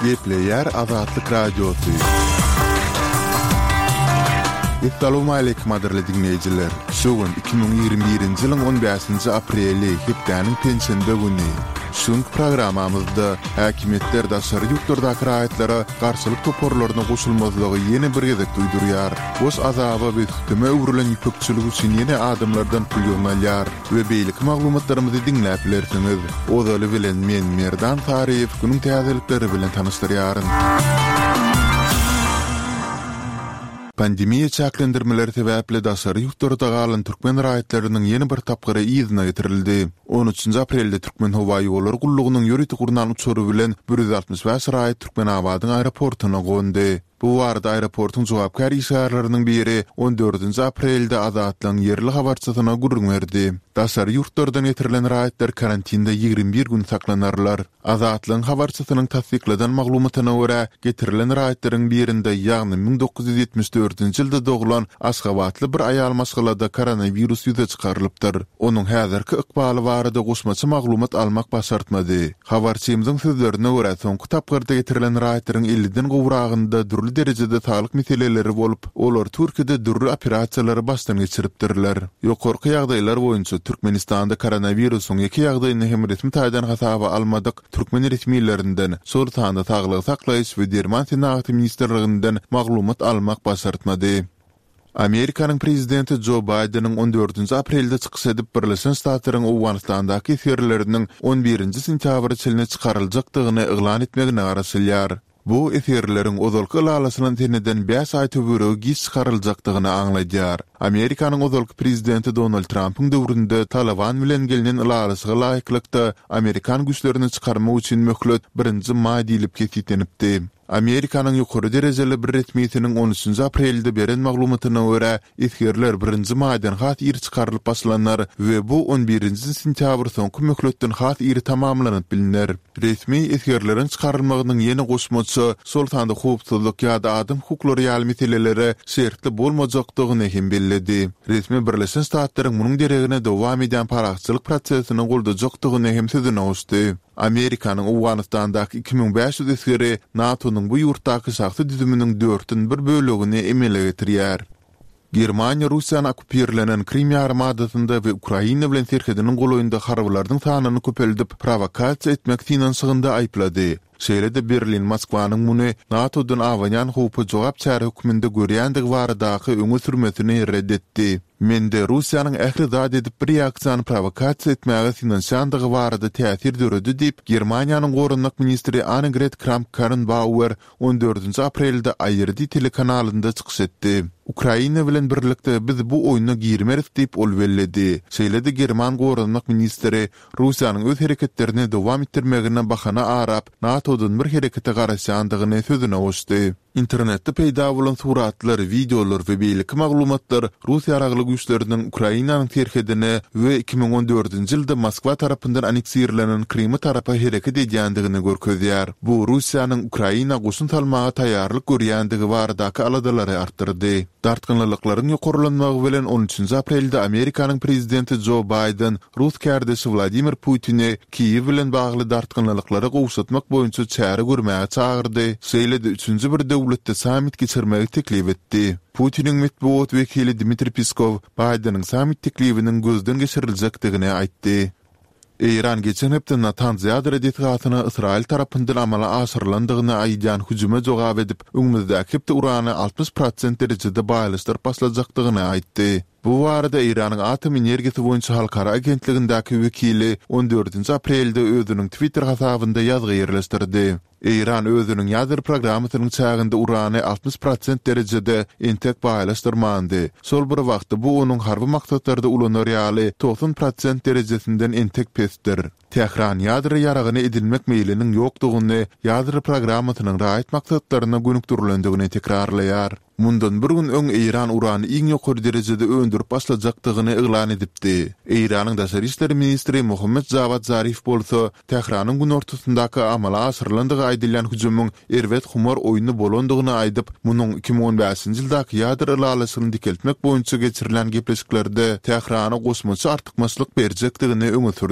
Gepleýär Azatlyk Radiosy. Essalawmaleýkim gadyrly diňleýjiler! Şu gün 2021-nji ýylyň on bäşinji apreli, hepdäniň penşenbe güni. Şu günki programmamyzda häkimiýetler daşary ýurtlardaky raýatlara garşylyk toparlaryna goşulmazlygy ýene bir gezek duýdurýar. Boş azaba we süteme öwrülen ýüpekçilik üçin ýene adamlardan pul ýygnalýar we beýleki maglumatlarymyzy diňläp bilersiňiz. Ozaly bilen men Merdan Saryýew günüň täzelikleri bilen tanyşdyrýaryn. Pandemiýa çäklendirmeleri sebäpli daşary ýurtlarda galan türkmen raýatlarynyň ýene bir tapgyry yzyna getirildi. On üçünji aprelde Türkmenhowaýollary gullugynyň ýörite gurnan uçary bilen 165 raýat Türkmenabadyň aeroportuna gondy. Bu barada aeroportuň jogapkär işgärleriniň biri on dördünji aprelde Azatlygyň ýerli habarçysyna gürrüň berdi. Daşary ýurtlardan getirilen raýatlar karantinde 21 gün saklanarlar. Azatlygyň habarçysynyň tassykladan maglumatyna görä, getirilen raýatlaryň birinde, ýagny 1974-nji ýylda doglan aşgabatly bir aýal maşgalada koronawirus ýüze çykarylypdyr. Onuň häzirki ykbaly barada goşmaça maglumat almak başartmady. Habarçymyzyň sözlerine görä, soňky tapgyrda getirilen raýatlaryň elliden gowragynda dürli derejede saglyk meseleleri bolup, olar Türkiýede dürli operasiýalary başdan geçiripdirler. Ýokarky ýagdaýlar boýunça Türkmenistanda koronawirusyň ýeke ýagdaýyny hem resmi taýdan hasaba almadyk türkmen resmilerinden, şol sanda Saglygy saklaýyş we derman senagaty ministrliginden maglumat almak başartmady. Amerikanyň prezidenti Jo Baýdeniň on dördünji aprelde çykyş edip, Birleşen Ştatlaryň Owganystandaky esgerleriniň on birinji sentýabra çenli çykaryljakdygyny yglan etmegine garaşylýar. Bu esgerleriň ozalky ylalaşylan seneden bäş aý töweregi giç çykaryljakdygyny aňladýar. Amerikanyň ozalky prezidenti Donald Trampyň döwründe Talyban bilen gelnen ylalaşyga laýyklykda, amerikan güýçlerini çykarmak üçin möhlet birinji maý diýlip kesgitlenipdi. Amerikanyň ýokary derejeli bir resmisiniň on üçünji aprelde beren maglumatyna görä, esgerler birinji maýdan has ir çykarylyp başlanar we bu on birinji sentýabr soňky möhletden has ir tamamlanyp bilner. Resmi esgerleriň çykarylmagynyň ýene goşmaça, şol sanda howpsuzlyk ýa-da adam hukuklary ýaly meselelere şertli bolmajakdygyny hem belledi. Resmi Birleşen Ştatlaryň munuň deregine dowam edýän parahatçylyk prosesini goldajakdygyny hem sözüne goşdy. Amerikanyň Owganystandaky 2500 esgeri NATO-nyň bu ýurtdaky şahsy düzüminiň dörtden bir bölegini emele getirýär. Germaniýa Russiýany okkupirlenen Krym ýarymadasynda we Ukraina bilen serhediniň golaýynda harbylarynyň sanyny köpeldip, prowokasiýa etmek synanyşygynda aýyplady. Şeýle-de Berlin Moskwanyň muny NATO-dan abanýan howpa jogap çäre hökmünde görýändigi baradaky öňe sürmesini ret etdi. Mende Russiýanyň ähli zat edip bir reaksiýany prowokasiýa etmäge synanyşýandygy barada täsir döredi diýip, Germaniýanyň goranmak ministri Annegret Kramp-Karrenbauer on dördünji aprelde ARD telekanalynda çykyş etdi. Ukraina bilen birlikde biz bu oýna girmeris diýip, ol belledi. Şeýle-de german goranmak ministri Russiýanyň öz hereketlerini dowam etdirmegine bahana arap, NATO-dan bir herekete garaşýandygyny sözüne goşdy. Internetde peýda bolan suratlar, wideolar we beýleki maglumatlar rus ýaragly güýçleriniň Ukrainanyň serhedine we 2014-nji ýylda Moskwa tarapyndan anneksirlenen Kryma tarapa hereket edýändigini görkezýär. Bu Russiýanyň Ukraina goşun salmaga taýýarlyk görýändigi baradaky aladalary artdyrdy. Dartgynlylyklaryň ýokarlanmagy bilen on üçünji aprelde Amerikanyň prezidenti Jo Baýden rus kärdeşi Wladimir Putini Kiýew bilen bagly dartgynlylyklary gowşatmak boýunça çäre görmäge çagyrdy, şeýle-de üçünji bir döwletde sammit geçirmegi teklip etdi. Putiniň metbugat wekili Dmitriý Peskow Baýdeniň sammit teklibiniň gözden geçiriljekdigini aýtdy. Eýran geçen hepde Natanz ýadro desgasyna Ysraýyl tarapyndan amala aşyrylandygyny aýdýan hüjüme jogap edip, öňümizdäki hepde urany 60 prosent derejede baýlaşdyryp başlajakdygyny aýtdy. Bu barada Eýranyň Atom energiýasy boýunça halkara agentligindäki wekili on dördünji aprelde özüniň Twitter hasabynda ýazgy ýerleşdirdi. Eýran özüniň ýadro programmasynyň çäginde urany 60 prosent derejede entek baýlaşdyrmandy. Şol bir wagtda bu onuň harby maksatlarda ulanar ýaly 90 prosent derejesinden entek pesdir. Tähran ýadro ýaragyny edinmek meýliniň ýokdugyny, ýadro programmasynyň raýat maksatlaryna gönükdirilendigini tekrarlaýar. Mundan bir gün öň Eýran urany iň ýokary derejede öndürip başlajakdygyny yglan edipdi. Eýranyň daşary işler ministri Mohammed Jawad Zarif bolsa Tähranyň günortasyndaky amala aşyrylandygy aýdylýan hüjümiň erbet humar oýny bolandygyny aýdyp, munuň 2015-nji ýyldaky ýadro ylalaşygyny dikeltmek boýunça geçirilen gepleşiklerde Tährana goşmaça artykmaçlyk berjekdigini öňe sürdi.